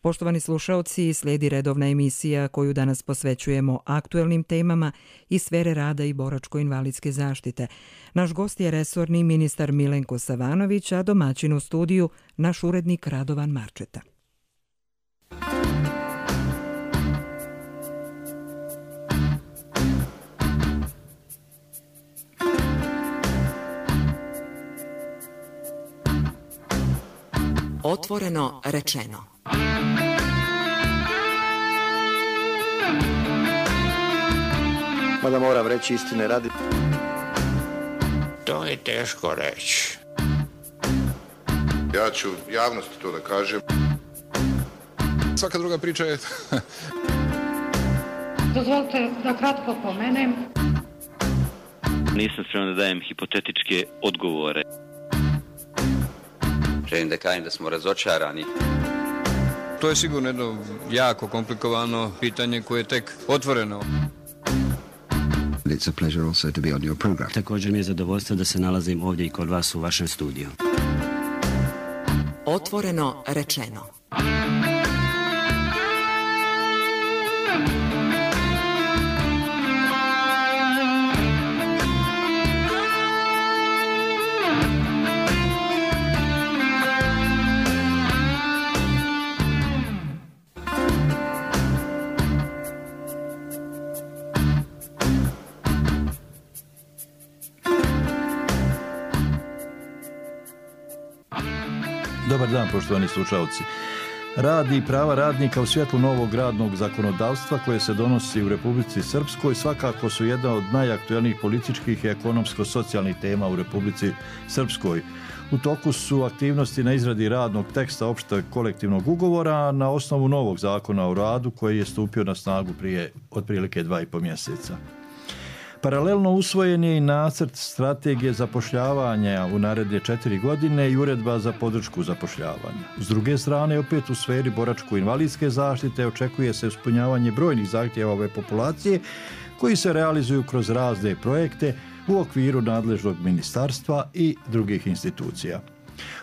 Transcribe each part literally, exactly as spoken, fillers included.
Poštovani slušaoci, slijedi redovna emisija koju danas posvećujemo aktuelnim temama iz sfere rada i boračko-invalidske zaštite. Naš gost je resorni ministar Milenko Savanović, a domaćin u studiju naš urednik Radovan Marčeta. Otvoreno rečeno. Mada moram reći istine radi. To je teško reći. Ja ću javnosti to da kažem. Svaka druga priča je... Dozvolite da kratko pomenem. Nisam spreman da dajem hipotetičke odgovore. Želim da kažem da smo razočarani. To je sigurno jedno jako komplikovano pitanje koje je tek otvoreno. It's a pleasure also to be on your program. Također mi je zadovoljstvo da se nalazim ovdje i kod vas u vašem studiju. Otvoreno rečeno. Dobar dan, poštovani slušalci. Rad i prava radnika u svjetlu novog radnog zakonodavstva koje se donosi u Republici Srpskoj svakako su jedna od najaktuelnijih političkih i ekonomsko-socijalnih tema u Republici Srpskoj. U toku su aktivnosti na izradi radnog teksta opšteg kolektivnog ugovora na osnovu novog zakona o radu koji je stupio na snagu prije otprilike dva i po mjeseca. Paralelno usvojen je i nacrt strategije zapošljavanja u naredne četiri godine i uredba za podršku zapošljavanja. S druge strane, opet u sferi boračko-invalidske zaštite očekuje se ispunjavanje brojnih zahtjeva ove populacije koji se realizuju kroz razne projekte u okviru nadležnog ministarstva i drugih institucija.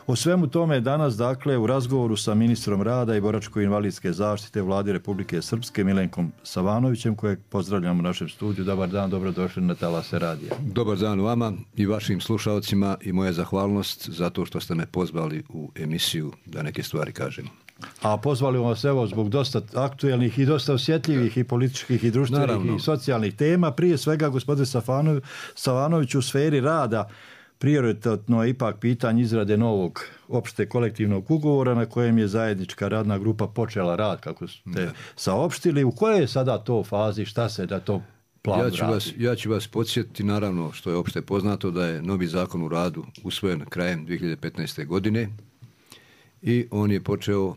O svemu tome danas, dakle, u razgovoru sa ministrom rada i boračko-invalidske zaštite Vlade Republike Srpske Milenkom Savanovićem, kojeg pozdravljam u našem studiju. Dobar dan, dobrodošli na Talase radija. Dobar dan vama i vašim slušalcima i moja zahvalnost zato što ste me pozvali u emisiju da neke stvari kažem. A pozvali vas evo zbog dosta aktuelnih i dosta osjetljivih i političkih i društvenih Naravno. i socijalnih tema. Prije svega, gospodin Savanović, u sferi rada prioritetno je ipak pitanje izrade novog opšte kolektivnog ugovora na kojem je zajednička radna grupa počela rad, kako ste ne. saopštili. U kojoj je sada to fazi, šta se da to plan ja ću radi? Vas, ja ću vas podsjetiti, naravno, što je opšte poznato, da je novi zakon o radu usvojen krajem dvije hiljade petnaeste. godine i on je počeo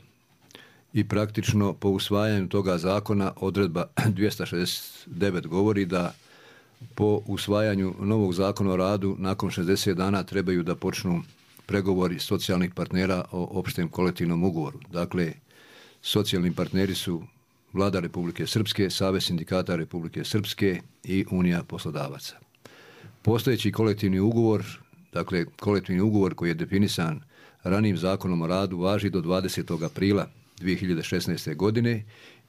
i praktično po usvajanju toga zakona odredba dvjesto šezdeset devet govori da po usvajanju novog zakona o radu nakon šezdeset dana trebaju da počnu pregovori socijalnih partnera o opštem kolektivnom ugovoru. Dakle, socijalni partneri su Vlada Republike Srpske, Savez sindikata Republike Srpske i Unija poslodavaca. Postojeći kolektivni ugovor, dakle kolektivni ugovor koji je definisan ranijim zakonom o radu, važi do dvadesetog aprila dvije hiljade šesnaeste. godine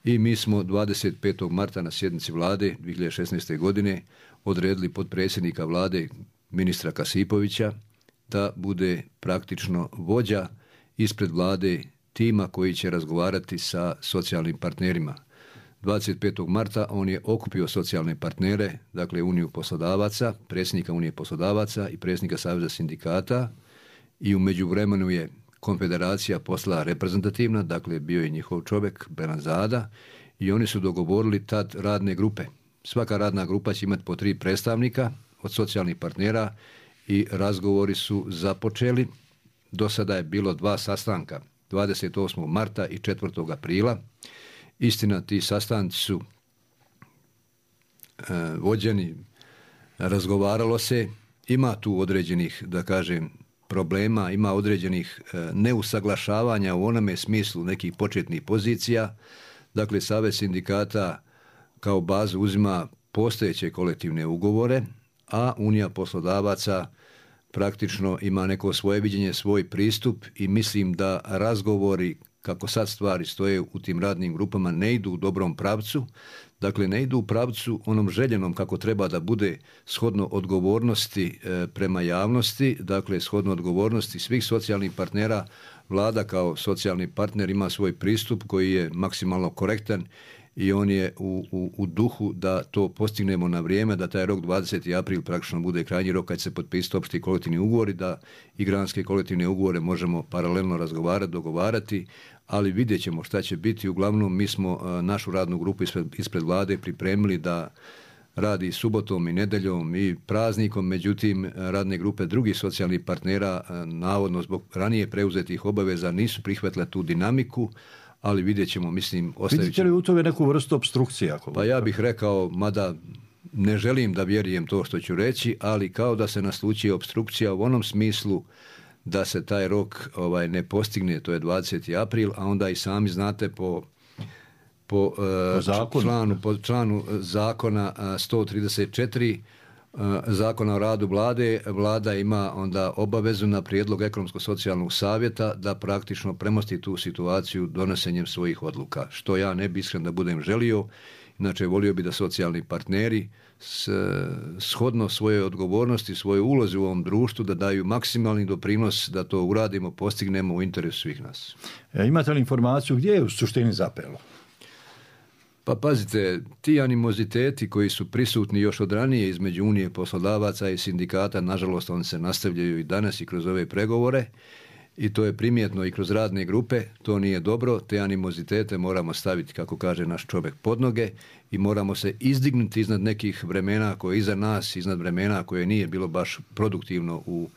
i mi smo dvadeset petog marta na sjednici Vlade dvije hiljade šesnaeste. godine odredili potpredsjednika Vlade ministra Kasipovića da bude praktično vođa ispred Vlade tima koji će razgovarati sa socijalnim partnerima. dvadeset petog marta on je okupio socijalne partnere, dakle Uniju poslodavaca, predsjednika Unije poslodavaca i predsjednika Saveza sindikata i u međuvremenu je Konfederacija poslala reprezentativna, dakle bio je njihov čovjek Benazada i oni su dogovorili tad radne grupe. Svaka radna grupa će imati po tri predstavnika od socijalnih partnera i razgovori su započeli. Do sada je bilo dva sastanka, dvadeset osmog marta i četvrtog aprila. Istina, ti sastanci su e, vođeni, razgovaralo se, ima tu određenih, da kažem, problema, ima određenih e, neusaglašavanja u onome smislu nekih početnih pozicija. Dakle, Savez sindikata kao bazu uzima postojeće kolektivne ugovore, a Unija poslodavaca praktično ima neko svoje viđenje, svoj pristup i mislim da razgovori kako sad stvari stoje u tim radnim grupama, ne idu u dobrom pravcu. Dakle, ne idu u pravcu onom željenom kako treba da bude shodno odgovornosti e, prema javnosti, dakle, shodno odgovornosti svih socijalnih partnera. Vlada kao socijalni partner ima svoj pristup koji je maksimalno korektan i on je u, u, u duhu da to postignemo na vrijeme, da taj rok dvadeseti april praktično bude krajnji rok kad se potpisati opšti kolektivni ugovori, da i granske kolektivne ugovore možemo paralelno razgovarati, dogovarati, ali vidjet ćemo šta će biti. Uglavnom, mi smo a, našu radnu grupu ispred, ispred vlade pripremili da radi subotom i nedeljom i praznikom, međutim radne grupe drugih socijalnih partnera a, navodno zbog ranije preuzetih obaveza nisu prihvatile tu dinamiku, ali vidjet ćemo, mislim, ostavit ćemo. Vidite li u tome neku vrstu obstrukcije? Ako pa ja bih rekao, mada ne želim da vjerujem to što ću reći, ali kao da se naslučuje obstrukcija u onom smislu da se taj rok ovaj, ne postigne, to je dvadeseti april, a onda i sami znate po, po, po, uh, članu, po članu zakona uh, sto trideset četiri uh, zakona o radu vlade, vlada ima onda obavezu na prijedlog ekonomsko-socijalnog savjeta da praktično premosti tu situaciju donosenjem svojih odluka, što ja ne bi iskren da budem želio. Inače, volio bi da socijalni partneri s, shodno svojoj odgovornosti, svojoj ulozi u ovom društvu, da daju maksimalni doprinos da to uradimo, postignemo u interesu svih nas. E, imate li informaciju gdje je u suštini zapelo? Pa pazite, ti animoziteti koji su prisutni još od ranije između Unije poslodavaca i sindikata, nažalost, oni se nastavljaju i danas i kroz ove pregovore. I to je primjetno i kroz radne grupe, to nije dobro, te animozitete moramo staviti, kako kaže naš čovjek, pod noge i moramo se izdignuti iznad nekih vremena koje je iza nas, iznad vremena koje nije bilo baš produktivno u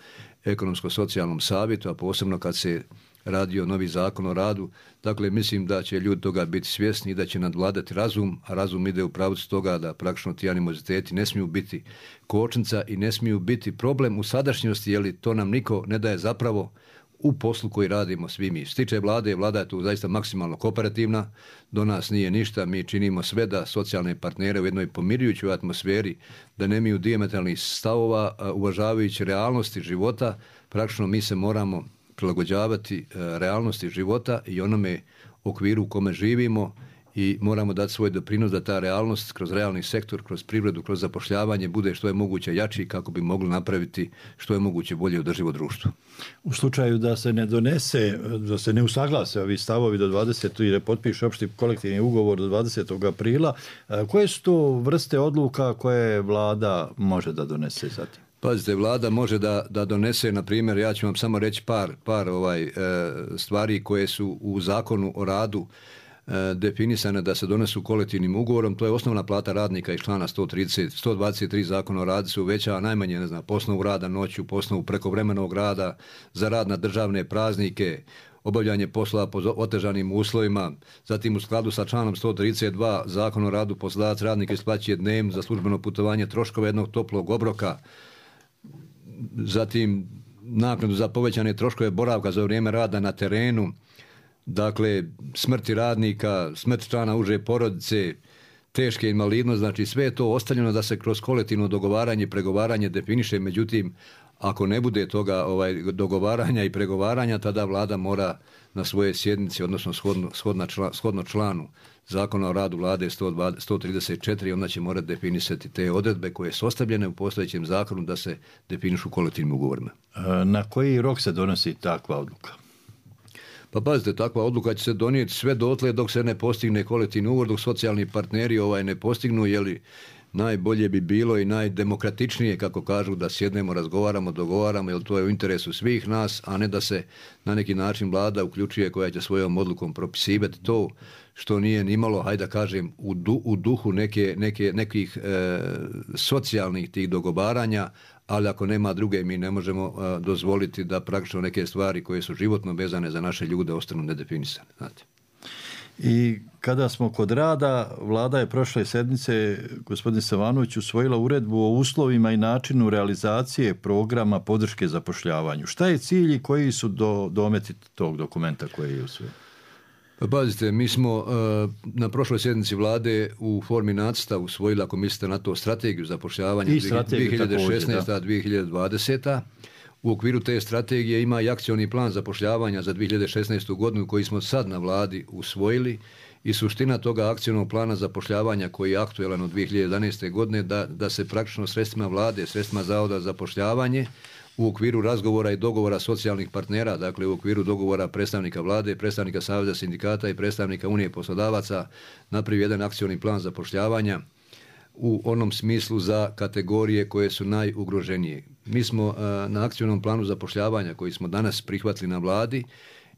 ekonomsko-socijalnom savjetu, a posebno kad se radio novi zakon o radu. Dakle, mislim da će ljudi toga biti svjesni i da će nadvladati razum, a razum ide u pravcu toga da praktično ti animoziteti ne smiju biti kočnica i ne smiju biti problem u sadašnjosti, jer to nam niko ne daje zapravo u poslu koji radimo svi mi. Stiče vlade, vlada je tu zaista maksimalno kooperativna, do nas nije ništa, mi činimo sve da socijalne partnere u jednoj pomirujućoj atmosferi, da nemaju dijametralnih stavova, uvažavajući realnosti života, praktično mi se moramo prilagođavati realnosti života i onome okviru u kome živimo i moramo dati svoj doprinos da ta realnost kroz realni sektor, kroz privredu, kroz zapošljavanje bude što je moguće jači kako bi mogli napraviti što je moguće bolje održivo društvo. U slučaju da se ne donese, da se ne usaglase ovi stavovi do dvadesetog i ne potpiše opšti kolektivni ugovor do dvadesetog aprila, koje su to vrste odluka koje vlada može da donese zatim? Pazite, vlada može da, da donese, na primjer, ja ću vam samo reći par, par ovaj, e, stvari koje su u zakonu o radu definisane da se donesu kolektivnim ugovorom. To je osnovna plata radnika iz člana sto trideset, sto dvadeset tri zakona o radu se uvećava najmanje, ne znam, po osnovu rada noću, po osnovu prekovremenog rada, za rad na državne praznike, obavljanje poslova po otežanim uslovima. Zatim u skladu sa članom sto trideset dva zakona o radu poslodavac radnika isplaćuje dnevno za službeno putovanje troškova jednog toplog obroka. Zatim naknadu za povećane troškove boravka za vrijeme rada na terenu. Dakle, smrti radnika, smrt člana uže porodice, teške invalidnosti, znači sve je to ostavljeno da se kroz kolektivno dogovaranje i pregovaranje definiše, međutim, ako ne bude toga ovaj, dogovaranja i pregovaranja, tada vlada mora na svoje sjednici, odnosno shodno, shodno, član, shodno članu zakona o radu vlade sto trideset četiri, onda će morati definisati te odredbe koje su ostavljene u postojećem zakonu da se definišu kolektivnim ugovorima. Na koji rok se donosi takva odluka? Pa pazite, takva odluka će se donijeti sve dotle dok se ne postigne kolektivni ugovor, dok socijalni partneri ovaj ne postignu, jeli najbolje bi bilo i najdemokratičnije, kako kažu, da sjednemo, razgovaramo, dogovaramo, jer to je u interesu svih nas, a ne da se na neki način vlada uključuje koja će svojom odlukom propisivati to što nije nimalo, hajde da kažem, u, du, u duhu neke, neke, nekih e, socijalnih tih dogovaranja, ali ako nema druge, mi ne možemo a, dozvoliti da praktično neke stvari koje su životno vezane za naše ljude ostanu nedefinisane. Znate. I kada smo kod rada, vlada je prošle sedmice, gospodin Savanović, usvojila uredbu o uslovima i načinu realizacije programa podrške zapošljavanju. Šta je cilj i koji su do, dometi tog dokumenta koji je usvojen? Pa pazite, mi smo uh, na prošloj sjednici vlade u formi nacrta usvojili, ako mislite na to, strategiju zapošljavanja dvije hiljade šesnaeste do dvije hiljade dvadesete. U okviru te strategije ima i akcioni plan zapošljavanja za dvije hiljade šesnaestu godinu koji smo sad na vladi usvojili i suština toga akcionog plana zapošljavanja koji je aktuelan od dvije hiljade jedanaeste godine da, da se praktično sredstvima vlade, sredstvima Zavoda za zapošljavanje u okviru razgovora i dogovora socijalnih partnera, dakle u okviru dogovora predstavnika vlade, predstavnika Saveza sindikata i predstavnika Unije poslodavaca napravi jedan akcioni plan zapošljavanja u onom smislu za kategorije koje su najugroženije. Mi smo a, na akcionom planu zapošljavanja koji smo danas prihvatili na vladi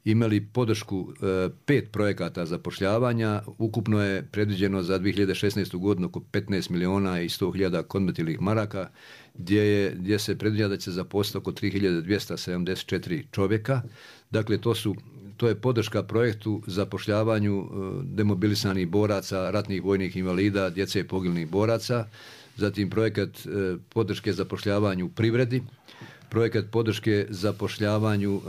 imali podršku e, pet projekata zapošljavanja. Ukupno je predviđeno za dvije hiljade šesnaestu godinu oko petnaest miliona i sto hiljada konvertibilnih maraka, gdje, je, gdje se predviđa da će zaposliti oko tri hiljade dvjesto sedamdeset četiri čovjeka. Dakle, to su To je podrška projektu zapošljavanju e, demobilisanih boraca, ratnih vojnih invalida, djece poginulih boraca, zatim projekat e, podrške zapošljavanju u privredi, projekat podrške zapošljavanju e,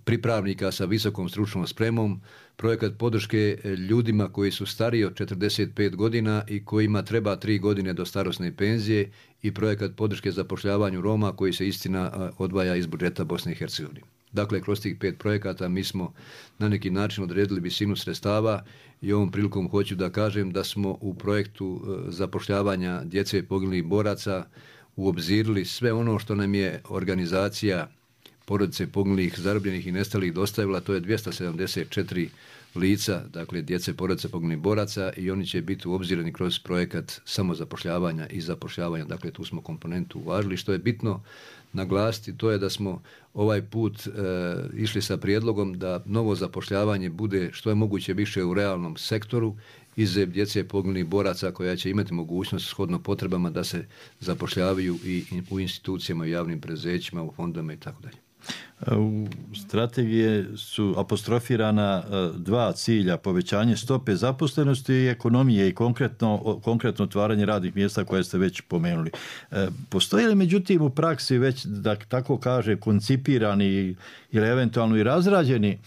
pripravnika sa visokom stručnom spremom, projekat podrške ljudima koji su stariji od četrdeset pet godina i kojima treba tri godine do starosne penzije i projekat podrške zapošljavanju Roma koji se istina odvaja iz budžeta Bosne i Hercegovine. Dakle, kroz tih pet projekata mi smo na neki način odredili visinu sredstava i ovom prilikom hoću da kažem da smo u projektu zapošljavanja djece poginulih boraca uobzirali sve ono što nam je organizacija porodice poginulih, zarobljenih i nestalih dostavila, to je dvjesto sedamdeset četiri lica, dakle djece porodice poginulih boraca i oni će biti uobzirani kroz projekat samozapošljavanja i zapošljavanja. Dakle, tu smo komponentu uvažili. Što je bitno naglasiti, to je da smo ovaj put e, išli sa prijedlogom da novo zapošljavanje bude što je moguće više u realnom sektoru izuzev djece poginulih boraca koja će imati mogućnost shodno potrebama da se zapošljavaju i u institucijama, javnim preduzećima, u fondovima i tako dalje. U strategije su apostrofirana dva cilja, povećanje stope zaposlenosti i ekonomije i konkretno, konkretno otvaranje radnih mjesta koje ste već pomenuli. Postoji li međutim u praksi već, da tako kaže, koncipirani ili eventualno i razrađeni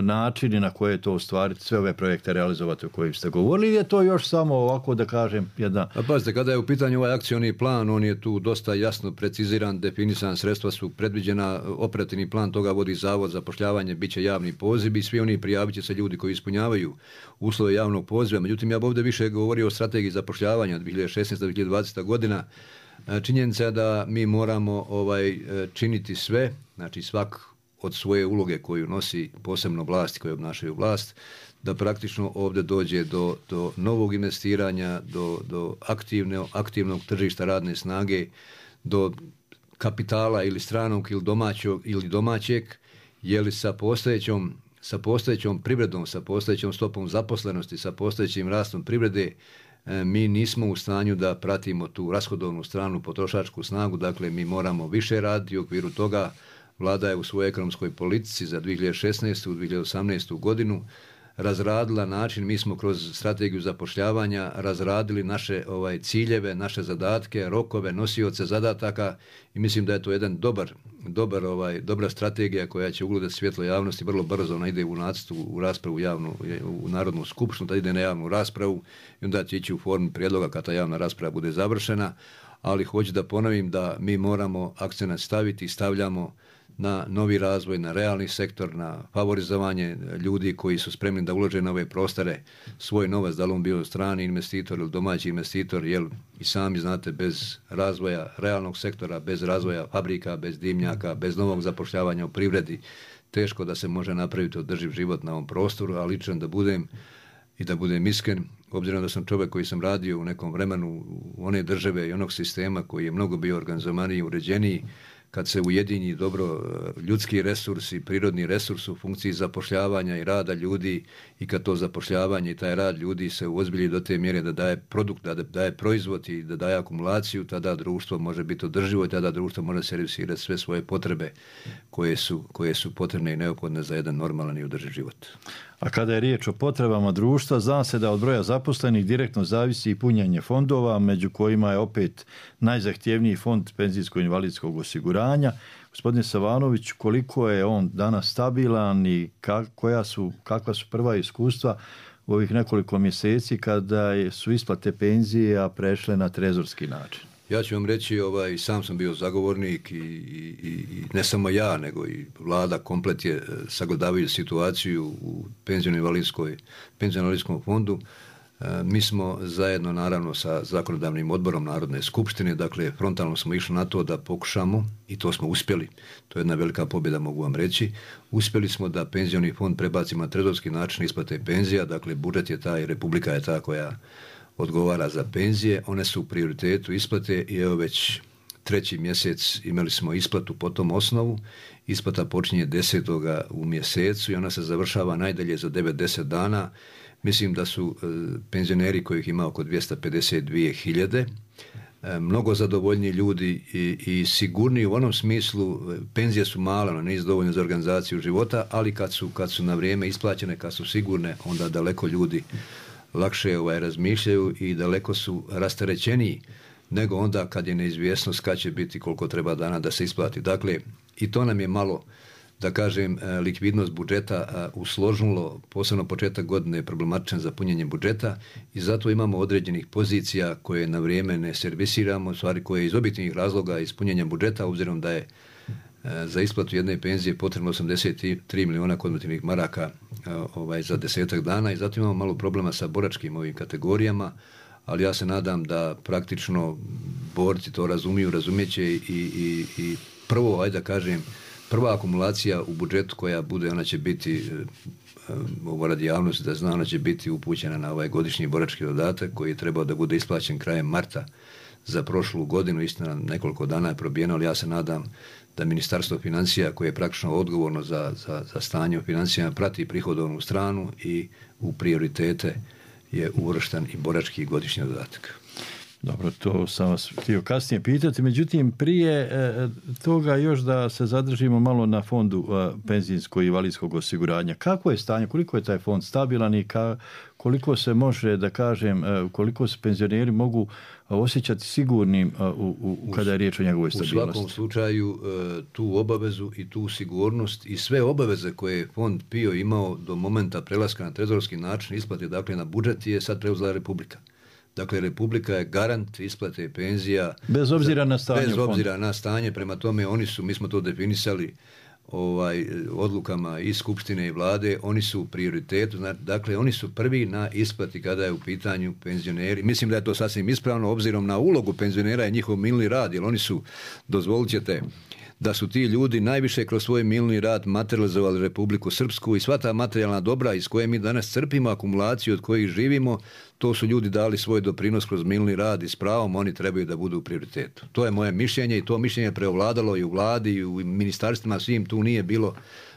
načini na koje to ostvariti, sve ove projekte realizovati o kojim ste govorili, ili je to još samo ovako da kažem jedna... A pazite, kada je u pitanju ovaj akcioni plan, on je tu dosta jasno preciziran, definisan, sredstva su predviđena, operativni plan toga vodi Zavod za zapošljavanje, bit će javni poziv i svi oni prijavit će se ljudi koji ispunjavaju uslove javnog poziva. Međutim, ja bih ovdje više govorio o strategiji zapošljavanja dvije hiljade šesnaesta do dvije hiljade dvadeseta godina. Činjenica je da mi moramo ovaj činiti sve, znači svak od svoje uloge koju nosi posebno vlasti koje obnašaju vlast, da praktično ovdje dođe do, do novog investiranja, do, do aktivne, aktivnog tržišta radne snage, do kapitala ili stranog ili domaćeg, ili domaćeg, je li sa postojećom, sa postojećom privredom, sa postojećom stopom zaposlenosti, sa postojećim rastom privrede, mi nismo u stanju da pratimo tu rashodovnu stranu, potrošačku snagu, dakle mi moramo više raditi u okviru toga. Vlada je u svojoj ekonomskoj politici za dvije hiljade šesnaestu. dvije hiljade osamnaestu. godinu razradila način, mi smo kroz strategiju zapošljavanja razradili naše ovaj ciljeve, naše zadatke, rokove, nosioce zadataka i mislim da je to jedan dobar, dobar ovaj dobra strategija koja će ugledati svjetlo javnosti vrlo brzo. Ona ide u nacrtu, u raspravu javnu, u Narodnu skupštinu, da ide na javnu raspravu i onda će ići u formi prijedloga kad ta javna rasprava bude završena, ali hoću da ponovim da mi moramo akcenat staviti i stavljamo na novi razvoj, na realni sektor, na favorizovanje ljudi koji su spremni da ulože na ove prostore svoj novac, da li on bio strani investitor ili domaći investitor, jer i sami znate, bez razvoja realnog sektora, bez razvoja fabrika, bez dimnjaka, bez novog zapošljavanja u privredi, teško da se može napraviti održiv život na ovom prostoru, a ličan da budem i da budem iskren, obzirom da sam čovjek koji sam radio u nekom vremenu u one države i onog sistema koji je mnogo bio organizovaniji i uređeniji, kad se ujedinji dobro ljudski resursi, prirodni resurs u funkciji zapošljavanja i rada ljudi i kad to zapošljavanje i taj rad ljudi se uozbilji do te mjere da daje produkt, da daje proizvod i da daje akumulaciju, tada društvo može biti održivo i tada društvo može servisirati sve svoje potrebe koje su, koje su potrebne i neophodne za jedan normalan i održiv život. A kada je riječ o potrebama društva, zna se da od broja zaposlenih direktno zavisi i punjenje fondova, među kojima je opet najzahtjevniji fond penzijsko-invalidskog osiguranja. Gospodine Savanović, koliko je on danas stabilan i koja su, kakva su prva iskustva u ovih nekoliko mjeseci kada su isplate penzija prešle na trezorski način? Ja ću vam reći, ovaj, sam sam bio zagovornik i, i, i ne samo ja, nego i vlada komplet je sagledavajući situaciju u penziono-invalidskom fondu. Mi smo zajedno naravno sa zakonodavnim odborom Narodne skupštine, dakle frontalno smo išli na to da pokušamo, i to smo uspjeli, to je jedna velika pobjeda, mogu vam reći, uspjeli smo da penzioni fond prebacimo na trezorski način isplate penzija, dakle budžet je taj, Republika je ta koja odgovara za penzije, one su u prioritetu isplate i evo već treći mjesec imali smo isplatu po tom osnovu. Isplata počinje desetoga u mjesecu i ona se završava najdalje za devet do deset dana. Mislim da su e, penzioneri kojih ima oko dvjesto pedeset dvije hiljade, e, mnogo zadovoljni ljudi i, i sigurni u onom smislu, penzije su male, no nisu dovoljne za organizaciju života, ali kad su, kad su na vrijeme isplaćene, kad su sigurne, onda daleko ljudi lakše ovaj, razmišljaju i daleko su rasterećeniji nego onda kad je neizvjesnost kad će biti, koliko treba dana da se isplati. Dakle, i to nam je malo, da kažem, likvidnost budžeta usložilo, posebno početak godine je problematičan za punjenje budžeta i zato imamo određenih pozicija koje na vrijeme ne servisiramo, stvari koje iz objektivnih razloga ispunjenja budžeta, obzirom da je za isplatu jedne penzije potrebno osamdeset tri miliona konvertibilnih maraka ovaj, za desetak dana i zato imamo malo problema sa boračkim ovim kategorijama, ali ja se nadam da praktično borci to razumiju, razumjeće i, i, i prvo, ajde da kažem, prva akumulacija u budžetu koja bude, ona će biti, ovo radi javnosti da zna, ona će biti upućena na ovaj godišnji borački dodatak koji je trebao da bude isplaćen krajem marta za prošlu godinu, istina nekoliko dana je probijeno, ali ja se nadam da Ministarstvo financija koje je praktično odgovorno za, za, za stanje u financijama prati prihodovnu stranu i u prioritete je uvršten i borački godišnji dodatak. Dobro, to sam vas htio kasnije pitati. Međutim, prije e, toga još da se zadržimo malo na fondu e, penzijskog i invalidskog osiguranja. Kako je stanje, koliko je taj fond stabilan i ka, koliko se može, da kažem, e, koliko se penzioneri mogu osjećati sigurnim e, u, u, kada je riječ o njegovoj stabilnosti? U svakom slučaju e, tu obavezu i tu sigurnost i sve obaveze koje je fond P I O imao do momenta prelaska na trezorski način isplate, dakle na budžet, je sad preuzela Republika. Dakle, Republika je garant isplate penzija. Bez obzira na stanje. Bez obzira na stanje, prema tome oni su, mi smo to definisali ovaj, odlukama i Skupštine i Vlade, oni su u prioritetu, dakle oni su prvi na isplati kada je u pitanju penzioneri. Mislim da je to sasvim ispravno, obzirom na ulogu penzionera i njihov milni rad, jer oni su, dozvolit ćete, da su ti ljudi najviše kroz svoj milni rad materializovali Republiku Srpsku i sva ta materijalna dobra iz koje mi danas crpimo, akumulaciju od kojih živimo, to su ljudi dali svoj doprinos kroz milni rad i s pravom oni trebaju da budu u prioritetu. To je moje mišljenje i to mišljenje je preovladalo i u vladi i u ministarstvima, svim tu nije bilo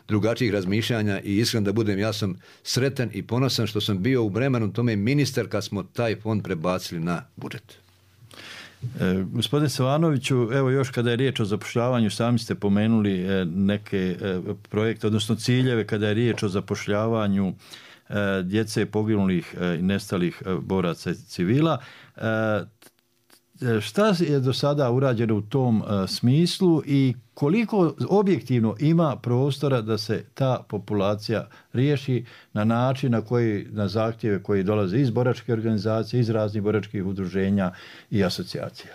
drugačijih razmišljanja i iskreno da budem, ja sam sretan i ponosan što sam bio u vremenu tome ministar kad smo taj fond prebacili na budžet. E, gospodine Savanoviću, evo još kada je riječ o zapošljavanju, sami ste pomenuli e, neke e, projekte, odnosno ciljeve kada je riječ o zapošljavanju e, djece poginulih i e, nestalih e, boraca i civila. E, šta je do sada urađeno u tom e, smislu i koliko objektivno ima prostora da se ta populacija riješi na način na koji, na zahtjeve koji dolaze iz boračke organizacije, iz raznih boračkih udruženja i asocijacija?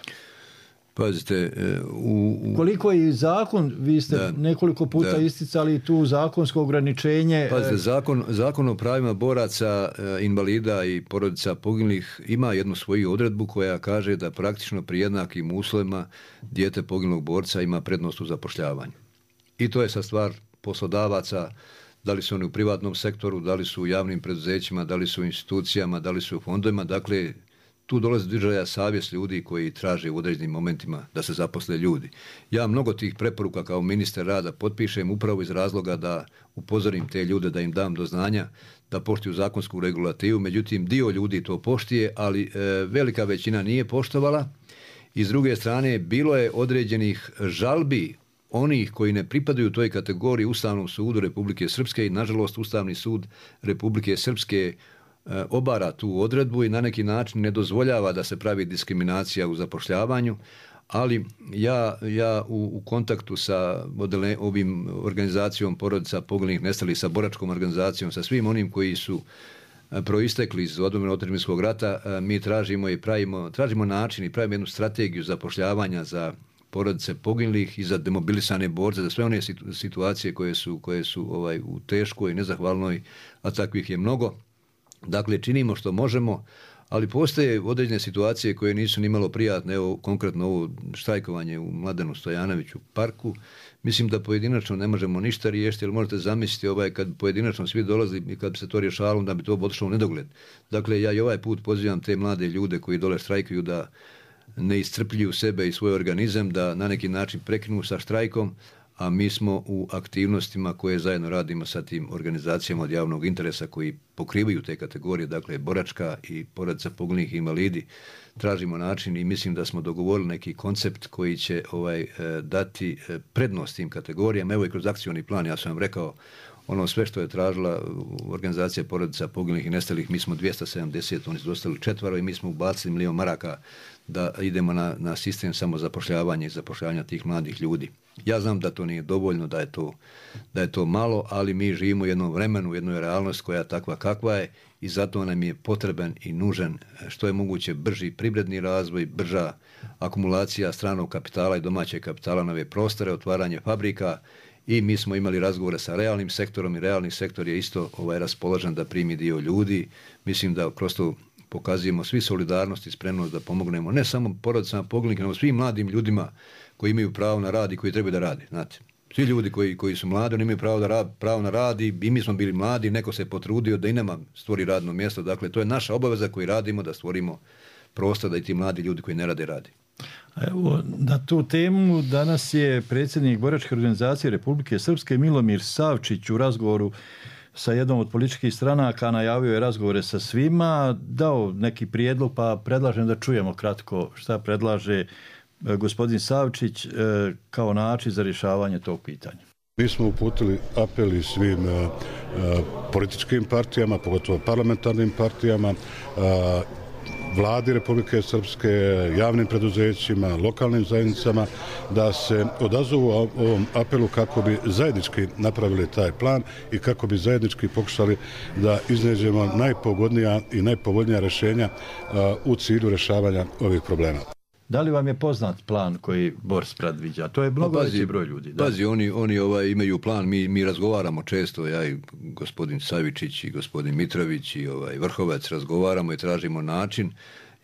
Pazite, u, u... koliko je zakon, vi ste da, nekoliko puta da. isticali tu zakonsko ograničenje. Pazite, zakon, zakon o pravima boraca, invalida i porodica poginulih ima jednu svoju odredbu koja kaže da praktično pri jednakim uslovima dijete poginulog borca ima prednost u zapošljavanju. I to je sa stvar poslodavaca, da li su oni u privatnom sektoru, da li su u javnim preduzećima, da li su u institucijama, da li su u fondovima, dakle tu dolazi do izražaja savjest ljudi koji traže u određenim momentima da se zaposle ljudi. Ja mnogo tih preporuka kao ministar rada potpišem upravo iz razloga da upozorim te ljude, da im dam do znanja da poštuju zakonsku regulativu. Međutim, dio ljudi to poštuje, ali e, velika većina nije poštovala. I s druge strane, bilo je određenih žalbi onih koji ne pripadaju toj kategoriji Ustavnom sudu Republike Srpske i nažalost Ustavni sud Republike Srpske obara tu odredbu i na neki način ne dozvoljava da se pravi diskriminacija u zapošljavanju, ali ja, ja u, u kontaktu sa modele, ovim organizacijom porodica poginulih nestalih, sa boračkom organizacijom, sa svim onim koji su proistekli iz odbrane otadžbinskog rata, mi tražimo i pravimo, tražimo način i pravimo jednu strategiju zapošljavanja za porodice poginulih i za demobilisane borce, za sve one situacije koje su, koje su ovaj, u teškoj, nezahvalnoj, a takvih je mnogo. Dakle, činimo što možemo, ali postoje određene situacije koje nisu ni malo prijatne. Evo, konkretno ovo štrajkovanje u Mladenu Stojanoviću parku. Mislim da pojedinačno ne možemo ništa riješiti, jer možete zamisliti ovaj, kad pojedinačno svi dolazi i kad bi se to rješavalo, da bi to otišlo u nedogled. Dakle, ja i ovaj put pozivam te mlade ljude koji dole štrajkuju da ne iscrpljuju sebe i svoj organizam, da na neki način prekinu sa štrajkom, a mi smo u aktivnostima koje zajedno radimo sa tim organizacijama od javnog interesa koji pokrivaju te kategorije, dakle boračka i porodica poginulih invalidi. Tražimo način i mislim da smo dogovorili neki koncept koji će ovaj, dati prednost tim kategorijama. Evo i kroz akcioni plan, ja sam vam rekao, ono sve što je tražila organizacija porodica poginulih i nestalih, mi smo dvjesto sedamdeset, oni su dostali četvaro i mi smo ubacili milijon maraka da idemo na, na sistem samozapošljavanja i zapošljavanja tih mladih ljudi. Ja znam da to nije dovoljno, da je to, da je to malo, ali mi živimo u jednom vremenu, u jednoj realnosti koja je takva kakva je i zato nam je potreban i nužan što je moguće brži privredni razvoj, brža akumulacija stranog kapitala i domaćeg kapitala na ove prostore, otvaranje fabrika. I mi smo imali razgovore sa realnim sektorom i realni sektor je isto ovaj, raspoložen da primi dio ljudi. Mislim da kroz to pokazujemo svi solidarnost i spremnost da pomognemo ne samo porodicama poginulih, nego svim mladim ljudima koji imaju pravo na rad i koji trebaju da rade. Znate, svi ljudi koji, koji su mladi, oni imaju pravo, da rad, pravo na rad i, i mi smo bili mladi, neko se potrudio da i nama stvori radno mjesto. Dakle, to je naša obaveza koju radimo da stvorimo prostor da i ti mladi ljudi koji ne rade radi. Evo, na tu temu danas je predsjednik Boračke organizacije Republike Srpske Milomir Savčić u razgovoru sa jednom od političkih stranaka najavio je razgovore sa svima, dao neki prijedlog, pa predlažem da čujemo kratko šta predlaže gospodin Savčić kao način za rješavanje tog pitanja. Mi smo uputili apeli svim uh, političkim partijama, pogotovo parlamentarnim partijama, uh, vladi Republike Srpske, javnim preduzećima, lokalnim zajednicama, da se odazovu ovom apelu kako bi zajednički napravili taj plan i kako bi zajednički pokušali da iznađemo najpogodnija i najpovoljnija rješenja u cilju rješavanja ovih problema. Da li vam je poznat plan koji Bors predviđa? To je mnogo veći broj ljudi. Da. Pazi, oni, oni ovaj, imaju plan, mi, mi razgovaramo često, ja i gospodin Savičić i gospodin Mitrović i ovaj, Vrhovac razgovaramo i tražimo način,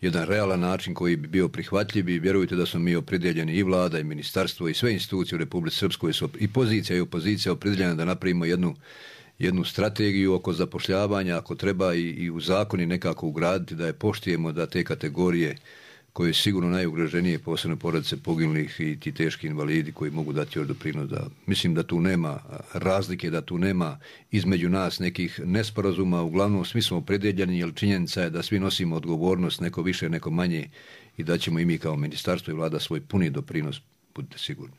jedan realan način koji bi bio prihvatljiv i vjerujte da smo mi opredjeljeni i vlada i ministarstvo i sve institucije u Republici Srpskoj su i pozicija i opozicija opredjeljena da napravimo jednu jednu strategiju oko zapošljavanja, ako treba i, i u zakoni nekako ugraditi da je poštujemo da te kategorije koje su sigurno najugroženije, posebno porodice poginulih i ti teški invalidi koji mogu dati još doprinos. Da, mislim da tu nema razlike, da tu nema između nas nekih nesporazuma, uglavnom svi smo opredjeljeni, jer činjenica je da svi nosimo odgovornost, neko više, neko manje i da ćemo i mi kao ministarstvo i vlada svoj puni doprinos, budite sigurni.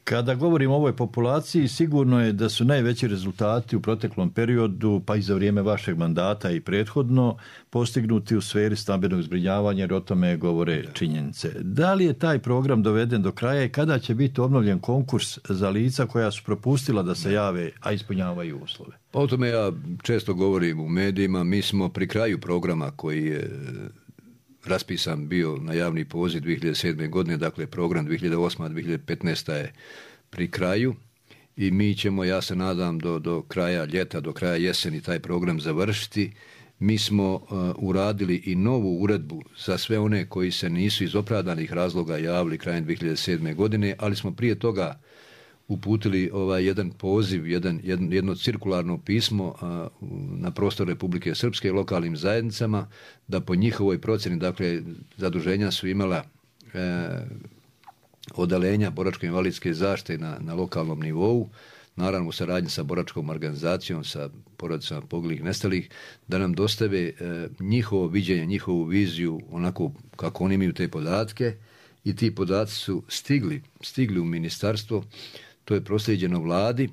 Kada govorimo o ovoj populaciji, sigurno je da su najveći rezultati u proteklom periodu, pa i za vrijeme vašeg mandata i prethodno, postignuti u sferi stambenog zbrinjavanja, jer o tome govore činjenice. Da li je taj program doveden do kraja i kada će biti obnovljen konkurs za lica koja su propustila da se jave, a ispunjavaju uslove? Pa o tome ja često govorim u medijima. Mi smo pri kraju programa koji je raspisan bio na javni poziv dvije hiljade sedme. godine, dakle program dvije hiljade osme. dvije hiljade petnaeste. je pri kraju i mi ćemo, ja se nadam, do, do kraja ljeta, do kraja jeseni taj program završiti. Mi smo uh, uradili i novu uredbu za sve one koji se nisu iz opravdanih razloga javili krajem dvije hiljade sedme. godine, ali smo prije toga uputili ovaj jedan poziv, jedan, jedno, jedno cirkularno pismo a, na prostor Republike Srpske lokalnim zajednicama, da po njihovoj procjeni, dakle, zaduženja su imala e, odalenja boračko-invalidske zaštite na, na lokalnom nivou, naravno u saradnji sa boračkom organizacijom, sa porodicama poginulih nestalih, da nam dostave e, njihovo viđenje, njihovu viziju, onako kako oni imaju te podatke, i ti podaci su stigli, stigli u ministarstvo. To je proslijeđeno vladi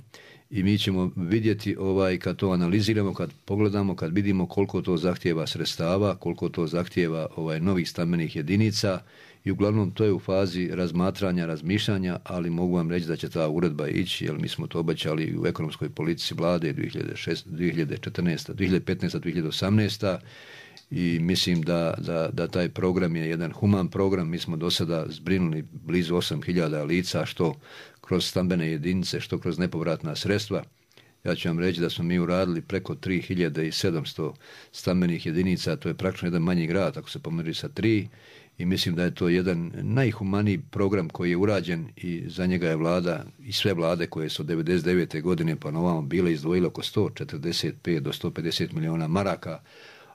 i mi ćemo vidjeti ovaj, kad to analiziramo, kad pogledamo, kad vidimo koliko to zahtijeva sredstava, koliko to zahtijeva ovaj, novih stambenih jedinica i uglavnom to je u fazi razmatranja, razmišljanja, ali mogu vam reći da će ta uredba ići, jer mi smo to obećali u ekonomskoj politici vlade dvije hiljade četrnaeste, dvije hiljade petnaeste, dvije hiljade osamnaeste. I mislim da, da, da taj program je jedan human program. Mi smo do sada zbrinuli blizu osam hiljada lica, što kroz stambene jedinice, što kroz nepovratna sredstva. Ja ću vam reći da smo mi uradili preko tri hiljade sedamsto stambenih jedinica, to je praktično jedan manji grad, ako se pomeri sa tri, i mislim da je to jedan najhumaniji program koji je urađen i za njega je vlada i sve vlade koje su od devedeset devete godine pa na ovamo bile izdvojile oko sto četrdeset pet do sto pedeset miliona maraka,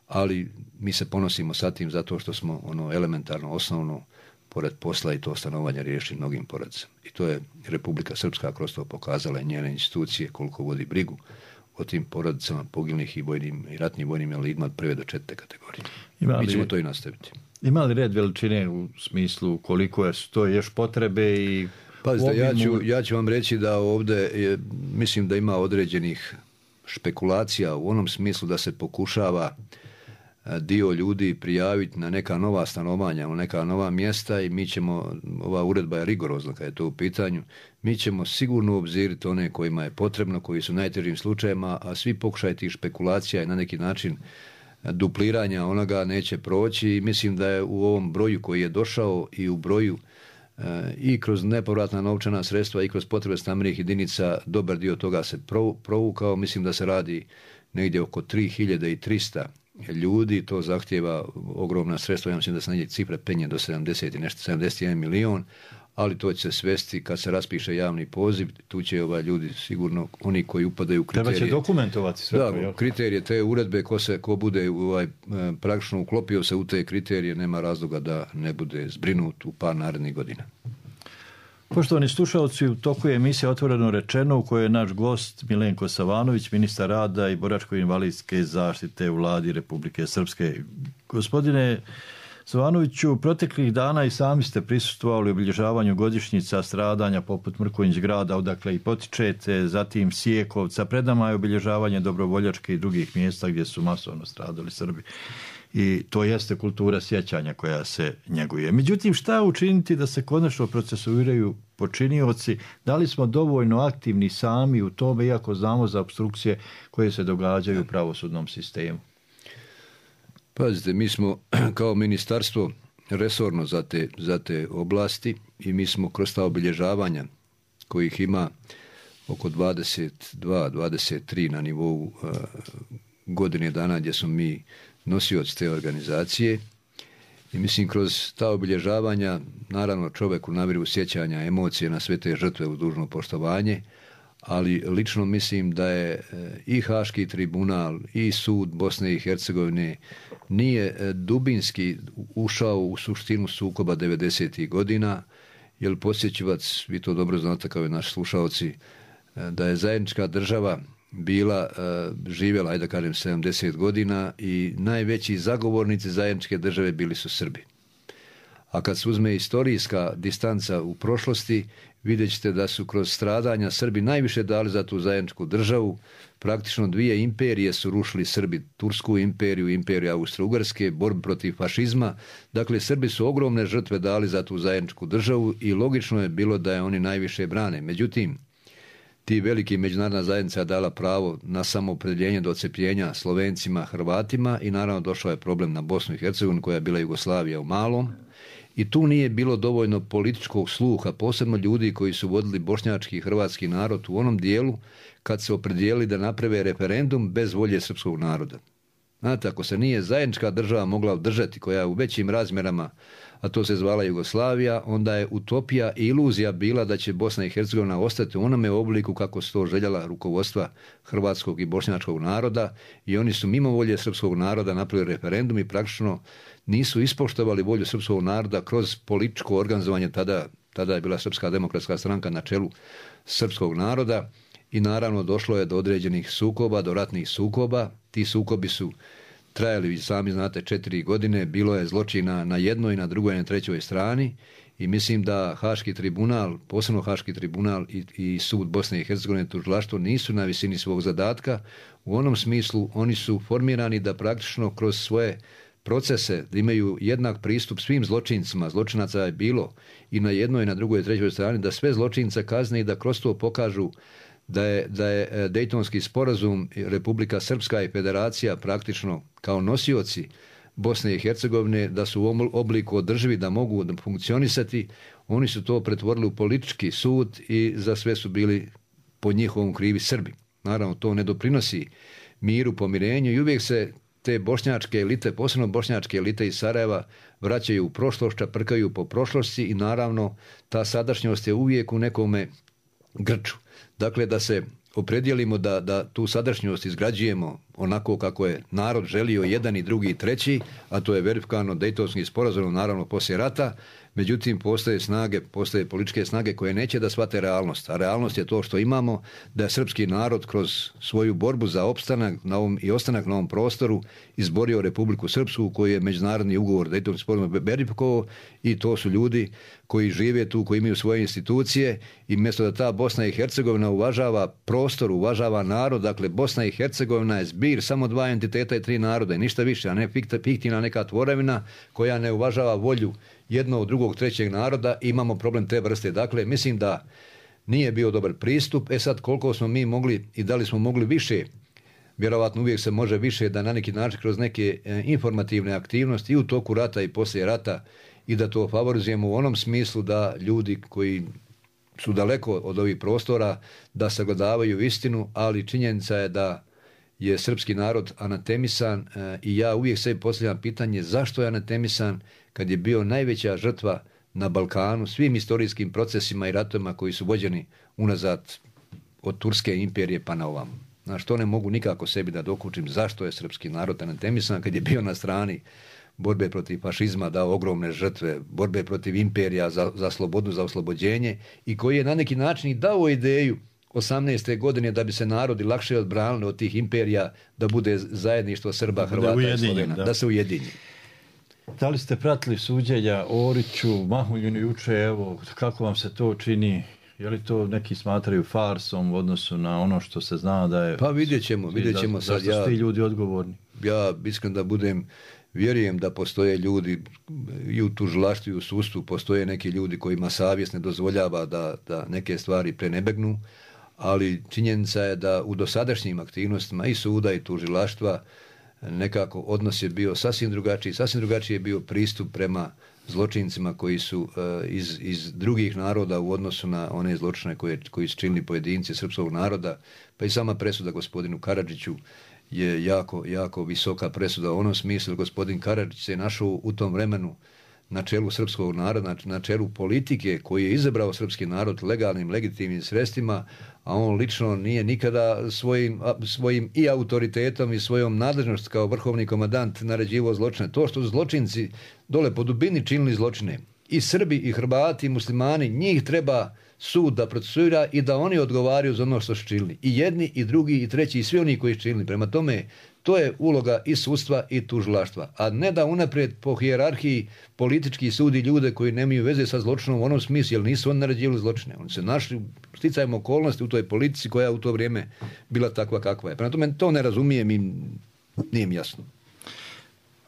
ali mi se ponosimo sa tim zato što smo ono elementarno, osnovno, pored posla i to stanovanja riješili mnogim porodicama. I to je Republika Srpska kroz to pokazala i njene institucije koliko vodi brigu o tim porodicama poginulih i vojnim i ratnim vojnim invalidima od prve do četvrte kategorije. Ima li, mi ćemo to i nastaviti. Ima li red veličine u smislu koliko je to još potrebe i... Pazite, ja ću, ja ću vam reći da ovdje je, mislim da ima određenih špekulacija u onom smislu da se pokušava dio ljudi prijaviti na neka nova stanovanja, na neka nova mjesta i mi ćemo, ova uredba je rigorozna kad je to u pitanju, mi ćemo sigurno obziriti one kojima je potrebno, koji su najtežim slučajima, a svi pokušaj tih špekulacija i na neki način dupliranja onoga neće proći i mislim da je u ovom broju koji je došao i u broju e, i kroz nepovratna novčana sredstva i kroz potrebe stambenih jedinica dobar dio toga se provukao. Mislim da se radi negdje oko tri hiljade trista ljudi, to zahtjeva ogromna sredstva, ja mislim da se negdje cifra penje do sedamdeset i nešto, sedamdeset jedan milion, ali to će se svesti kad se raspiše javni poziv, tu će ovaj ljudi sigurno, oni koji upadaju u kriterije. Treba će dokumentovati sve. Da, to, kriterije te uredbe, ko, se, ko bude ovaj, praktično uklopio se u te kriterije, nema razloga da ne bude zbrinut u par narednih godina. Poštovani slušalci, u toku je emisija Otvoreno rečeno u kojoj je naš gost Milenko Savanović, ministar rada i boračko-invalidske zaštite u vladi Republike Srpske. Gospodine Savanoviću, proteklih dana i sami ste prisustvovali obilježavanju godišnjica stradanja poput Mrkonjić grada, odakle i potičete, zatim Sijekovca, pred nama je obilježavanje Dobrovoljačke i drugih mjesta gdje su masovno stradali Srbi. I to jeste kultura sjećanja koja se njeguje. Međutim, šta učiniti da se konačno procesuiraju počinioci? Da li smo dovoljno aktivni sami u tome, iako znamo za opstrukcije koje se događaju u pravosudnom sistemu? Pazite, mi smo kao ministarstvo resorno za te, za te oblasti i mi smo kroz ta obilježavanja kojih ima oko dvadeset dva dvadeset tri na nivou uh, godine dana gdje smo mi nosioci te organizacije i mislim kroz ta obilježavanja naravno čovjeku naviru sjećanja, emocije na sve te žrtve u dužno poštovanje, ali lično mislim da je i Haški tribunal i sud Bosne i Hercegovine nije dubinski ušao u suštinu sukoba devedesetih godina, jer posjećivac, vi to dobro znate kao i naši slušalci, da je zajednička država bila, živjela, ajde da kažem, sedamdeset godina i najveći zagovornici zajedničke države bili su Srbi. A kad se uzme istorijska distanca u prošlosti, vidjet ćete da su kroz stradanja Srbi najviše dali za tu zajedničku državu. Praktično dvije imperije su rušili Srbi, Tursku imperiju, imperiju Austro-Ugarske, borbu protiv fašizma. Dakle, Srbi su ogromne žrtve dali za tu zajedničku državu i logično je bilo da je oni najviše brane. Međutim, ti veliki međunarodna zajednica je dala pravo na samoopredjeljenje do odcepljenja Slovencima, Hrvatima i naravno došao je problem na Bosnu i Hercegovinu koja je bila Jugoslavija u malom. I tu nije bilo dovoljno političkog sluha, posebno ljudi koji su vodili bošnjački i hrvatski narod u onom dijelu kad se opredijelili da naprave referendum bez volje srpskog naroda. Znate, ako se nije zajednička država mogla održati, koja je u većim razmjerama, a to se zvala Jugoslavija, onda je utopija i iluzija bila da će Bosna i Hercegovina ostati u onome obliku kako su to željela rukovodstva hrvatskog i bošnjačkog naroda i oni su mimo volje srpskog naroda napravili referendum i praktično nisu ispoštovali volju srpskog naroda kroz političko organizovanje, tada, tada je bila Srpska demokratska stranka na čelu srpskog naroda i naravno došlo je do određenih sukoba, do ratnih sukoba. Ti sukobi su trajali, vi sami znate, četiri godine, bilo je zločina na jednoj, na drugoj i na trećoj strani i mislim da Haški tribunal, posebno Haški tribunal i, i sud Bosne i Hercegovine, tužilaštvo nisu na visini svog zadatka. U onom smislu oni su formirani da praktično kroz svoje procese, da imaju jednak pristup svim zločincima, zločinaca je bilo i na jednoj i na drugoj i trećoj strani, da sve zločince kazne i da kroz to pokažu da je, da je Dejtonski sporazum, Republika Srpska i Federacija praktično kao nosioci Bosne i Hercegovine, da su u obliku održivi, da mogu funkcionisati, oni su to pretvorili u politički sud i za sve su bili po njihovom krivi Srbi. Naravno, to ne doprinosi miru, pomirenju i uvijek se te bošnjačke elite, posebno bošnjačke elite iz Sarajeva, vraćaju u prošlost, čaprkaju po prošlosti i naravno ta sadašnjost je uvijek u nekome grču. Dakle, da se opredijelimo da, da tu sadašnjost izgrađujemo onako kako je narod želio jedan i drugi i treći, a to je verifikovano Dejtonskim sporazumom, naravno poslije rata. Međutim, postoje snage, postoje političke snage koje neće da shvate realnost. A realnost je to što imamo, da je srpski narod kroz svoju borbu za opstanak na ovom, i ostanak na ovom prostoru izborio Republiku Srpsku, koji je međunarodni ugovor Dejtonski sporazum verifikovao, i to su ljudi koji žive tu, koji imaju svoje institucije, i mjesto da ta Bosna i Hercegovina uvažava prostor, uvažava narod, dakle Bosna i Hercegovina je zbir samo dva entiteta i tri naroda i ništa više, a ne fiktivna neka tvorevina koja ne uvažava volju jednog, drugog, trećeg naroda, i imamo problem te vrste. Dakle, mislim da nije bio dobar pristup. E sad, koliko smo mi mogli i da li smo mogli više, vjerovatno uvijek se može više, da na neki način kroz neke e, informativne aktivnosti i u toku rata i poslije rata, i da to favorizujemo u onom smislu da ljudi koji su daleko od ovih prostora da sagledavaju istinu, ali činjenica je da je srpski narod anatemisan e, i ja uvijek sebi postavljam pitanje zašto je anatemisan kad je bio najveća žrtva na Balkanu svim istorijskim procesima i ratovima koji su vođeni unazad od Turske imperije pa na ovamo. Znaš, to ne mogu nikako sebi da dokučim zašto je srpski narod anatemisan kad je bio na strani borbe protiv fašizma, dao ogromne žrtve, borbe protiv imperija za, za slobodu, za oslobođenje, i koji je na neki način i dao ideju osamnaeste godine da bi se narodi lakše odbranili od tih imperija, da bude zajedništvo Srba, Hrvata i Slovena, da. da se ujedinji. Da li ste pratili suđenja Oriću, Mahuljinu juče, evo, kako vam se to čini? Je li to neki smatraju farsom u odnosu na ono što se zna da je... Pa vidjet ćemo, vidjet ćemo sad. Zašto su ti ljudi odgovorni? Ja iskreno da budem, vjerujem da postoje ljudi i u tužilaštvu i u sudstvu, postoje neki ljudi kojima savjest ne dozvoljava da, da neke stvari prenebegnu, ali činjenica je da u dosadašnjim aktivnostima i suda i tužilaštva nekako odnos je bio sasvim drugačiji, sasvim drugačiji je bio pristup prema zločincima koji su uh, iz, iz drugih naroda u odnosu na one zločine koje, koji su činili pojedinci srpskog naroda, pa i sama presuda gospodinu Karadžiću je jako, jako visoka presuda u onom smislu. Gospodin Karadžić se je našao u tom vremenu na čelu srpskog naroda, na čelu politike koji je izabrao srpski narod legalnim, legitimnim sredstvima, a on lično nije nikada svojim, svojim i autoritetom i svojom nadležnost kao vrhovni komandant naređivao zločine. To što zločinci dole po dubini činili zločine, i Srbi i Hrvati i muslimani, njih treba sud da procesuira i da oni odgovaraju za ono što su činili. I jedni, i drugi, i treći, i svi oni koji su činili. Prema tome, to je uloga i sudstva i tužilaštva. A ne da unaprijed po hijerarhiji politički sudi ljude koji nemaju veze sa zločinom u onom smislu, jer nisu oni naređivali zločine. Oni se našli sticajem okolnosti u toj politici koja u to vrijeme bila takva kakva je. Prema tome, to ne razumijem i nije mi jasno.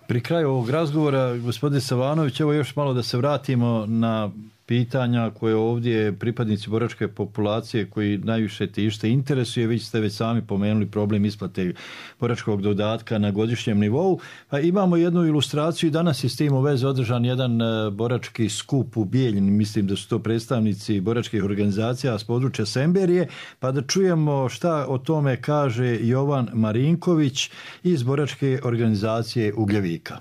Pri kraju ovog razgovora, gospodin Savanović, evo još malo da se vratimo na pitanja koje ovdje pripadnici boračke populacije koji najviše tište interesuje. Vi ste već sami pomenuli problem isplate boračkog dodatka na godišnjem nivou. Pa imamo jednu ilustraciju i danas je s tim u vezi održan jedan borački skup u Bijeljini. Mislim da su to predstavnici boračkih organizacija s područja Semberije. Pa da čujemo šta o tome kaže Jovan Marinković iz boračke organizacije Ugljevika.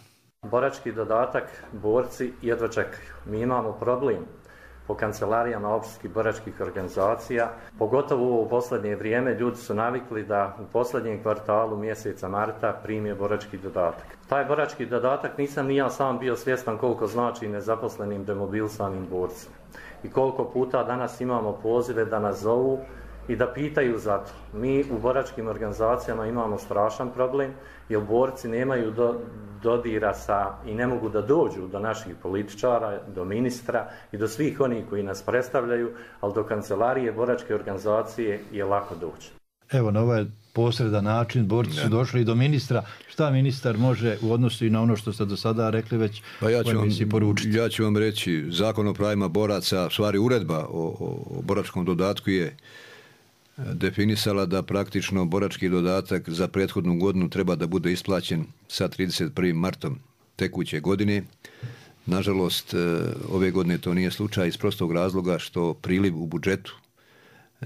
Borački dodatak borci jedva čekaju. Mi imamo problem po kancelarijama općinskih boračkih organizacija, pogotovo u posljednje vrijeme ljudi su navikli da u posljednjem kvartalu mjeseca marta prime borački dodatak. Taj borački dodatak nisam ni ja sam bio svjestan koliko znači nezaposlenim demobilisanim borcima. I koliko puta danas imamo pozive da nas zovu i da pitaju za to. Mi u boračkim organizacijama imamo strašan problem, jer borci nemaju do, dodira sa i ne mogu da dođu do naših političara, do ministra i do svih onih koji nas predstavljaju, ali do kancelarije boračke organizacije je lako doći. Evo, na ovaj posredan način, borci su došli do ministra. Šta ministar može u odnosu i na ono što ste do sada rekli već pa ja ću, vam, poručiti? ja ću vam reći, Zakon o pravima boraca, stvari uredba o, o, o boračkom dodatku je definisala da praktično borački dodatak za prethodnu godinu treba da bude isplaćen sa trideset prvim martom tekuće godine. Nažalost, ove godine to nije slučaj iz prostog razloga što priliv u budžetu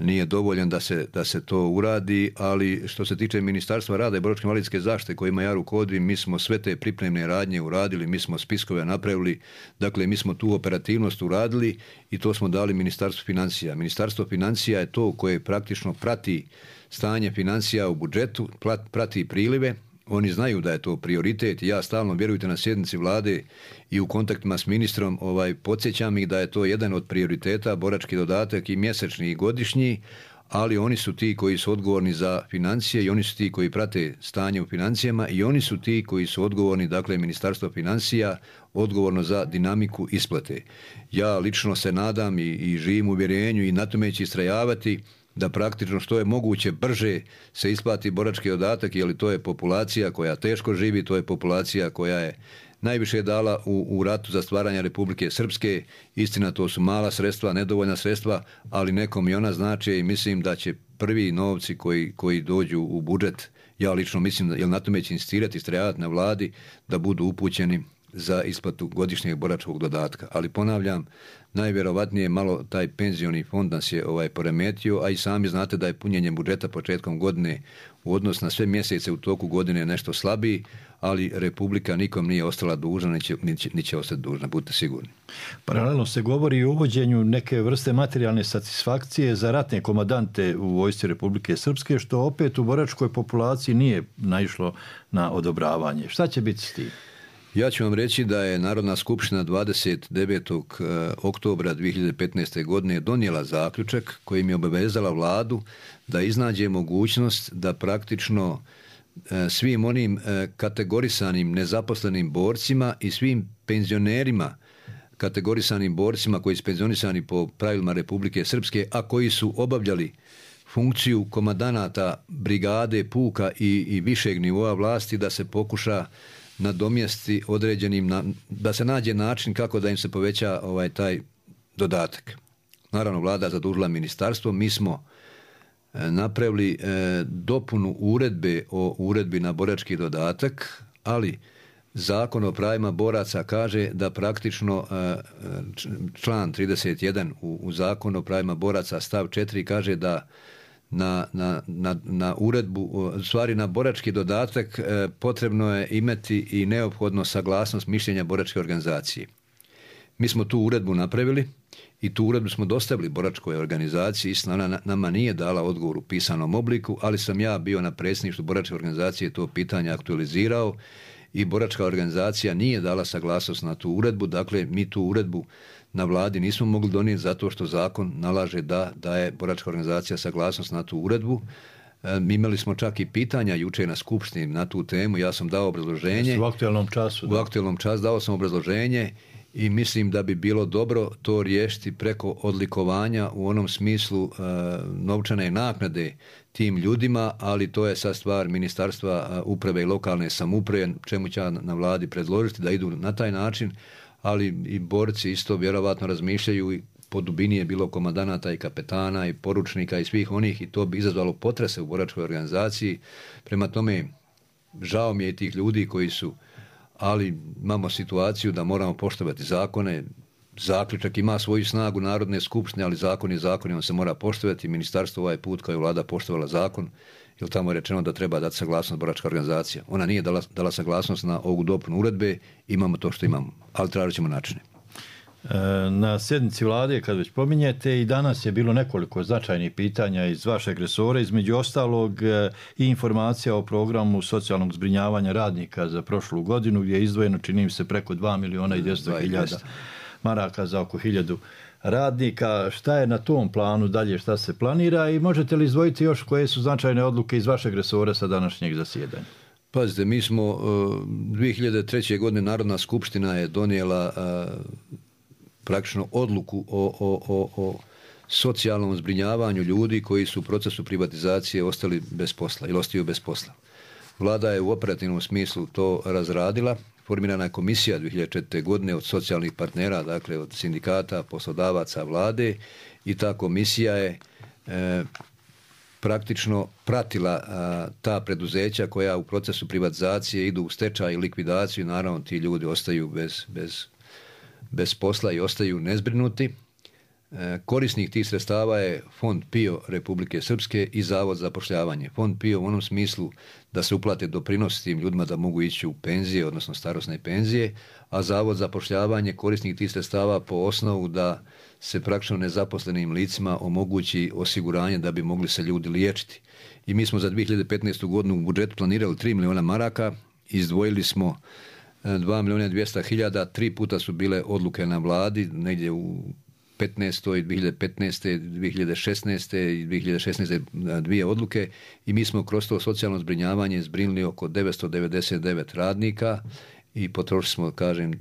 nije dovoljan da se, da se to uradi, ali što se tiče Ministarstva rada i boračko-invalidske zaštite kojima ja rukovodim, mi smo sve te pripremne radnje uradili, mi smo spiskove napravili, dakle mi smo tu operativnost uradili i to smo dali Ministarstvu financija. Ministarstvo financija je to koje praktično prati stanje financija u budžetu, prati prilive. Oni znaju da je to prioritet i ja stalno, vjerujte, na sjednici vlade i u kontaktima s ministrom ovaj, podsjećam ih da je to jedan od prioriteta, borački dodatak i mjesečni i godišnji, ali oni su ti koji su odgovorni za financije i oni su ti koji prate stanje u financijama i oni su ti koji su odgovorni, dakle Ministarstvo financija, odgovorno za dinamiku isplate. Ja lično se nadam i, i živim u uvjerenju i na tome ću istrajavati da praktično što je moguće brže se isplati borački dodatak, jer to je populacija koja teško živi, to je populacija koja je najviše dala u, u ratu za stvaranje Republike Srpske. Istina, to su mala sredstva, nedovoljna sredstva, ali nekom i ona znače i mislim da će prvi novci koji, koji dođu u budžet, ja lično mislim, jer na tome će insistirati, istrajavati na vladi, da budu upućeni za isplatu godišnjeg boračkog dodatka. Ali ponavljam, najvjerovatnije malo taj penzioni fond nas je ovaj poremetio, a i sami znate da je punjenje budžeta početkom godine u odnosu na sve mjesece u toku godine nešto slabiji, ali Republika nikom nije ostala dužna, ni će, ni će, ni će ostati dužna, budite sigurni. Paralelno se govori i o uvođenju neke vrste materijalne satisfakcije za ratne komandante u vojsci Republike Srpske, što opet u boračkoj populaciji nije naišlo na odobravanje. Šta će biti s tim? Ja ću vam reći da je Narodna skupština dvadeset devetog oktobra dvije hiljade petnaeste. godine donijela zaključak kojim je obavezala vladu da iznađe mogućnost da praktično svim onim kategorisanim nezaposlenim borcima i svim penzionerima kategorisanim borcima koji su penzionisani po pravilima Republike Srpske, a koji su obavljali funkciju komandanata brigade, puka i, i višeg nivoa vlasti, da se pokuša nadomjesti određenim, da se nađe način kako da im se poveća ovaj taj dodatak. Naravno, vlada zadužila ministarstvo, mi smo napravili e, dopunu uredbe o uredbi na borački dodatak, ali Zakon o pravima boraca kaže da praktično e, član trideset jedan u, u Zakonu o pravima boraca stav četiri kaže da Na, na, na, na uredbu, stvari na borački dodatak e, potrebno je imati i neophodno saglasnost mišljenja boračke organizacije. Mi smo tu uredbu napravili i tu uredbu smo dostavili boračkoj organizaciji. Istina, ona nama nije dala odgovor u pisanom obliku, ali sam ja bio na predsjedništvu boračke organizacije to pitanje aktualizirao i boračka organizacija nije dala saglasnost na tu uredbu. Dakle, mi tu uredbu na vladi nismo mogli donijeti zato što zakon nalaže da daje boračka organizacija saglasnost na tu uredbu. E, imali smo čak i pitanja jučer na skupštini na tu temu. Ja sam dao obrazloženje. U aktualnom času. U aktualnom času dao sam obrazloženje i mislim da bi bilo dobro to riješiti preko odlikovanja u onom smislu e, novčane naknade tim ljudima, ali to je sad stvar Ministarstva uprave i lokalne samouprave, čemu će na vladi predložiti da idu na taj način, ali i borci isto vjerovatno razmišljaju i po dubini je bilo komandanata i kapetana i poručnika i svih onih i to bi izazvalo potrese u boračkoj organizaciji. Prema tome, žao mi je tih ljudi koji su, ali imamo situaciju da moramo poštovati zakone. Zaključak ima svoju snagu Narodne skupštine, ali zakon je zakon i on se mora poštovati. Ministarstvo ovaj put kao je vlada poštovala zakon, jer tamo je rečeno da treba dati saglasnost boračka organizacija. Ona nije dala, dala saglasnost na ovu dopunu uredbe, imamo to što imamo, ali tražit ćemo načine. Na sjednici vlade, kad već pominjete, i danas je bilo nekoliko značajnih pitanja iz vašeg resora, između ostalog i informacija o programu socijalnog zbrinjavanja radnika za prošlu godinu, gdje je izdvojeno, čini mi se, preko dva miliona i dvjesto hiljada maraka za oko hiljadu radnika. Šta je na tom planu dalje, šta se planira i možete li izdvojiti još koje su značajne odluke iz vašeg resora sa današnjeg zasjedanja? Pazite, mi smo dvije hiljade treće. godine Narodna skupština je donijela praktično odluku o, o, o, o socijalnom zbrinjavanju ljudi koji su u procesu privatizacije ostali bez posla ili ostaju bez posla. Vlada je u operativnom smislu to razradila. Formirana je komisija dvije hiljade četvrte. godine od socijalnih partnera, dakle od sindikata, poslodavaca, vlade, i ta komisija je e, praktično pratila a, ta preduzeća koja u procesu privatizacije idu u stečaj i likvidaciju. Naravno, ti ljudi ostaju bez, bez, bez posla i ostaju nezbrinuti. E, korisnik tih sredstava je Fond P I O Republike Srpske i Zavod za zapošljavanje. Fond P I O u onom smislu da se uplate doprinos tim ljudima da mogu ići u penzije, odnosno starosne penzije, a Zavod za zapošljavanje korisnik tih sredstava po osnovu da se praktično nezaposlenim licima omogući osiguranje da bi mogli se ljudi liječiti. I mi smo za dvije hiljade petnaestu. godinu u budžetu planirali tri milijuna maraka, izdvojili smo dva milijuna dvjesto hiljada, tri puta su bile odluke na vladi, negdje u petnaestoj, dvije hiljade petnaeste, dvije hiljade šesnaeste i dvije hiljade šesnaeste. dvije odluke i mi smo kroz to socijalno zbrinjavanje zbrinuli oko devetsto devedeset devet radnika i potrošili smo, kažem,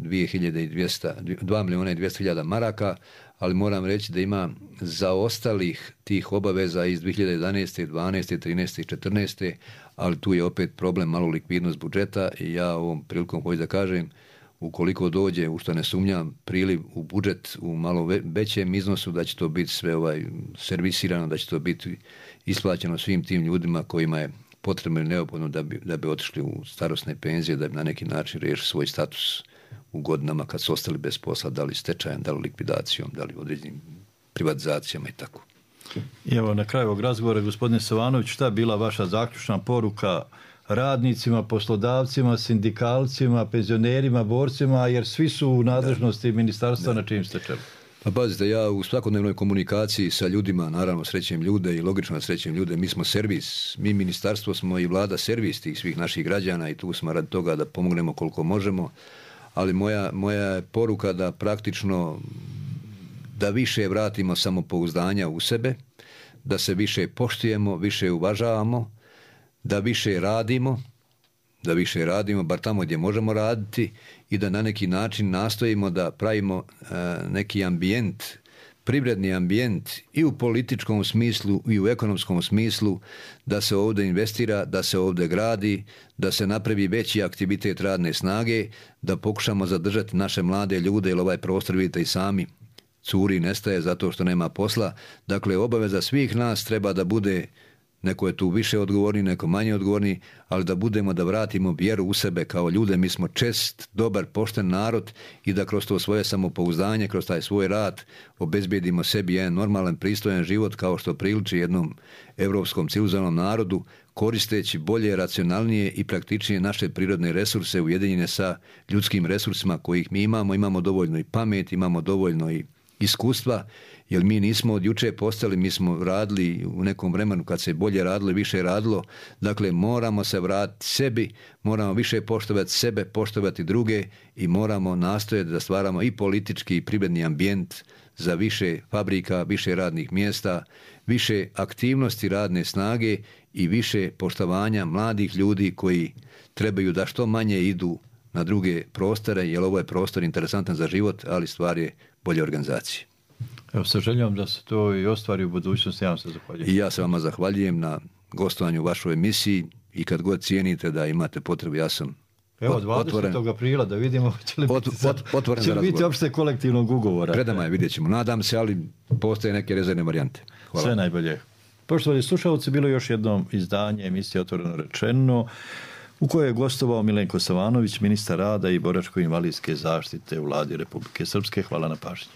dva milijuna i dvjesto hiljada maraka, ali moram reći da ima zaostalih tih obaveza iz dvije hiljade jedanaeste, dvanaeste, trinaeste i četrnaeste. ali tu je opet problem malo likvidnost budžeta i ja ovom prilikom hoću da kažem, ukoliko dođe, u što ne sumnjam, priliv u budžet u malo većem iznosu, da će to biti sve ovaj servisirano, da će to biti isplaćeno svim tim ljudima kojima je potrebno i neophodno da bi, da bi otišli u starosne penzije, da bi na neki način riješili svoj status u godinama kad su ostali bez posla, da li stečajem, da li likvidacijom, da li određenim privatizacijama i tako. I evo na kraju ovog razgovora, gospodine Savanović, šta je bila vaša zaključna poruka radnicima, poslodavcima, sindikalcima, penzionerima, borcima, jer svi su u nadležnosti ministarstva na čim ste čelu? Pa pazite, ja u svakodnevnoj komunikaciji sa ljudima, naravno srećem ljude i logično srećem ljude, mi smo servis, mi ministarstvo smo i vlada servis tih svih naših građana i tu smo radi toga da pomognemo koliko možemo, ali moja, moja je poruka da praktično da više vratimo samopouzdanja u sebe, da se više poštujemo, više uvažavamo, da više radimo, da više radimo, bar tamo gdje možemo raditi i da na neki način nastojimo da pravimo e, neki ambijent, privredni ambijent i u političkom smislu i u ekonomskom smislu, da se ovdje investira, da se ovdje gradi, da se napravi veći aktivitet radne snage, da pokušamo zadržati naše mlade ljude, jer ovaj prostor vidite i sami curi, nestaje zato što nema posla. Dakle, obaveza svih nas treba da bude, neko je tu više odgovorni, neko manje odgovorni, ali da budemo, da vratimo vjeru u sebe kao ljude. Mi smo čest, dobar, pošten narod i da kroz to svoje samopouzdanje, kroz taj svoj rad obezbijedimo sebi jedan normalan, pristojan život kao što priliči jednom evropskom civilizovanom narodu, koristeći bolje, racionalnije i praktičnije naše prirodne resurse ujedinjene sa ljudskim resursima kojih mi imamo. Imamo dovoljno i pamet, imamo dovoljno i iskustva, jer mi nismo od juče postali, mi smo radili u nekom vremenu kad se bolje radilo, više radilo. Dakle, moramo se vratiti sebi, moramo više poštovati sebe, poštovati druge i moramo nastojati da stvaramo i politički i privredni ambijent za više fabrika, više radnih mjesta, više aktivnosti radne snage i više poštovanja mladih ljudi koji trebaju da što manje idu na druge prostore, jer ovo je prostor interesantan za život, ali stvar je bolje organizacije. Evo, sa željom da se to i ostvari u budućnosti, ja vam se zahvaljujem. I ja se vama zahvaljujem na gostovanju u vašoj emisiji i kad god cijenite da imate potrebu, ja sam Evo, dvadesetog aprila da vidimo će li biti, ot, ot, će li biti opšte kolektivnog ugovora. Predama je, vidjet ćemo. Nadam se, ali postoje neke rezervne varijante. Hvala. Sve najbolje. Poštovani slušalci, bilo još jedno izdanje emisije Otvoreno rečeno, u kojoj je gostovao Milenko Savanović, ministar rada i boračko-invalidske zaštite u Vladi Republike Srpske. Hvala na pažnji.